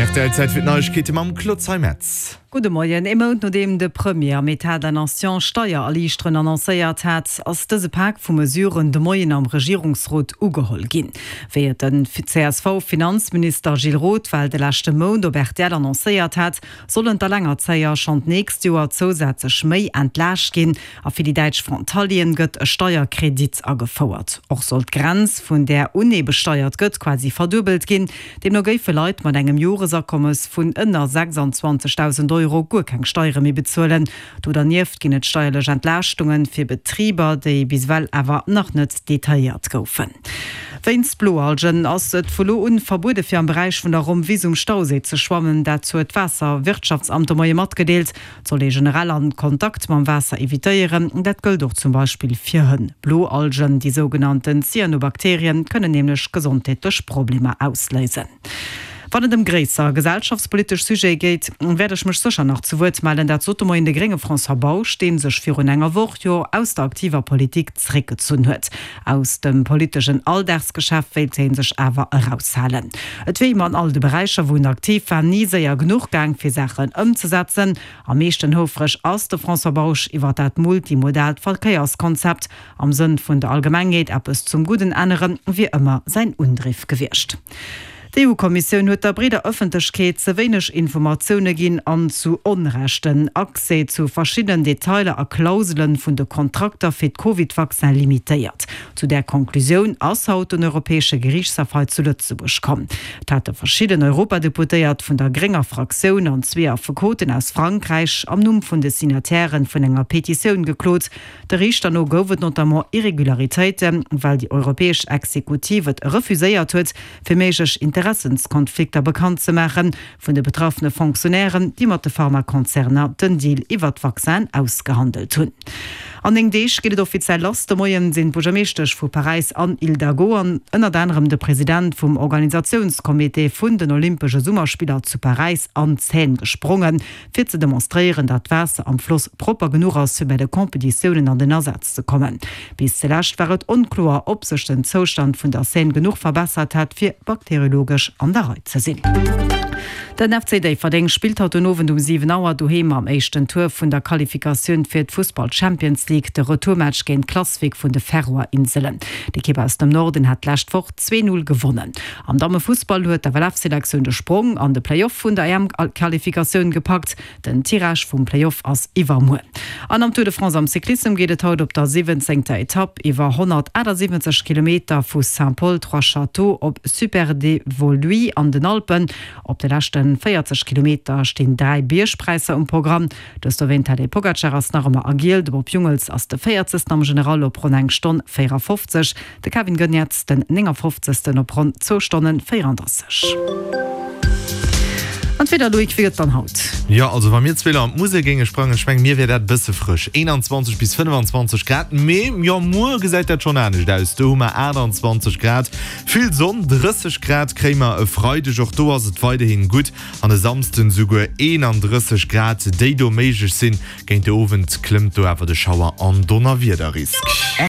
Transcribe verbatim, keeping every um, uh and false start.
R T L, Zäit fir d'Neiegkeete mam Claude Zeimetz. Gudde Moien. Ee Mount nodeem de Premier am Etat de la Nation Steiererliichterungen annoncéiert hat, ass dëse Pak vu Mesuren de Moien am Regierungsrot ugeholl ginn. Wéi et den C S V-Finanzminister Gilles Roth well de leschte Mount op R T L annoncéiert hat, sollen d'Alengerzéier schonn d'nächst Joer zousätzlech méi entlaascht ginn a fir déi däitsch Frontalieren gëtt e Steierkredit agefouert. Och soll d'Grenz, vun där un ee besteiert gëtt, quasi verduebelt ginn. Deemno géife Leit mat engem Joresakommes vun ënner sechsanzwanzegdausend Euro guer keng Steiere méi bezuelen. Do dernieft ginn et steierlech Entlaaschtunge fir Betriber, déi bis ewell awer nach net detailléiert goufen. Wéinst Bloalgen ass et vu lo un verbuede fir am Beräich vun der Rommwiss um Stauséi ze schwammen. Dat huet d'Waasserwirtschaftsamt de Moie matgedeelt. Et soll ee generell all Kontakt mam Waasser evitéieren. Dat gëllt och zum Beispill fir Hënn. Bloalgen, déi sougenannten Cyanobakterien, kënnen nämlech gesondheetlech Problemer ausléisen. Wann et ëm gréisser gesellschaftspolitesch Sujete geet, wäert ech mech sécher nach zu Wuert mellen. Dat sot de Moien de grénge François Bausch, dee sech virun enger Woch jo aus der aktiver Politik zeréckgezunn huet. Aus dem politeschen Alldagsgeschäft wéilt hie sech awer eraushalen. Et wier him an all de Beräicher, wou en aktiv war, ni séier genuch gaang, fir Saachen ëmzesetzen. Am meeschten houfreg ass de François Bausch iwwer dat multimodaalt Verkéierskonzept. Am Sënn vun der Allgemengheet eppes zum Gudden änneren, wier ëmmer säin Undriff gewiescht. D'E U-Kommissioun huet der breeder Ëffentlechkeet ze wéineg Informatioune ginn an zu Onrecht den Accès zu verschiddenen Detailer a Klausele vun de Kontrakter fir d'Covid-Vaccine limitéiert. Zu där Konklusioun ass haut den Europäesche Geriichtshaff hei zu Lëtzebuerg komm. Et hate verschidden Europadeputéiert vun der grénger Fraktioun an zwee Affekoten aus Frankräich am Numm vun de Signatairen vun enger Petitioun geklot. De Riichter no gouf et notamment Irregularitéiten, well déi europäesch Exekutiv et refuséiert huet, fir méiglech Interessenskonflikter bekannt ze maache vun de betraffene Fonctionnairen, déi mat de Pharmakonzerner den Deal iwwer d'Vaccin ausgehandelt hunn. An néng Deeg geet et offiziell lass. De Moien sinn d'Buergermeeschtesch vu Paräis Anne Hidalgo an ënnert anerem de President vum Organisatiounscomité vun den Olympesche Summerspiller zu Paräis an d'Seine gesprongen, fir ze demonstréieren, datt d'Waasser am Floss propper genuch ass, fir bei de Competitiounen an den Asaz ze kommen. Bis zulescht war et onkloer, ob sech den Zoustand vun der Seine genuch verbessert hätt, fir bakteriologesch an der Rei ze sinn. Den F C Déifferdeng spillt haut den Owend um siwen Auer doheem am éischten Tour vun der Qualifikatioun fir d'Fussball Champions League de Retourmatch géint Klaksvík vun de Färöer Inselen. D'Ekipp aus dem Norden hat d'lescht Woch zwee null gewonnen. Am Dammefussball huet d'F L F-Selektioun de Sprong an de Playoff vun der E M-Qualifikatioun gepackt. Den Tirage vum Playoff ass iwwermuer. An am Tour de France am Cyclissem geet et haut op der siwwenzéngter Etapp iwwer honnertaachtsiwwenzeg Kilometer vu Saint-Paul-Trois-Châteaux op Superdévoluy an den Alpen. Op de leschte véierzeg Kilometer stinn dräi Biergpräisser um Programm. De Sloween Tadej Pogacar ass nach ëmmer a Giel, de Bob Jungels ass de véierzegsten am General op ronn eng Stonn véierafofzeg, de Kevin Geniets den néngafofzegsten op ronn zwou Stonnen véierandrësseg. An d'Wieder, Loïc, wéi gëtt dann haut? Jo, also wa mir zwee an d'Musel géinge sprangen, ech mengen, mir wier dat bësse frësch. eenanzwanzeg bis fënnfanzwanzeg Grad, mee jo, muer gesäit dat schonn anescht aus. Do hu mer aachtanzwanzeg Grad, vill Sonn, drësseg Grad kréie mer e Freideg, och do ass et weiderhi gutt an e Samsden souguer eenandrësseg Grad, déi do méiglech sinn. Géint de Owend klëmmt do awer de Schauer an Donnerwiederrisk.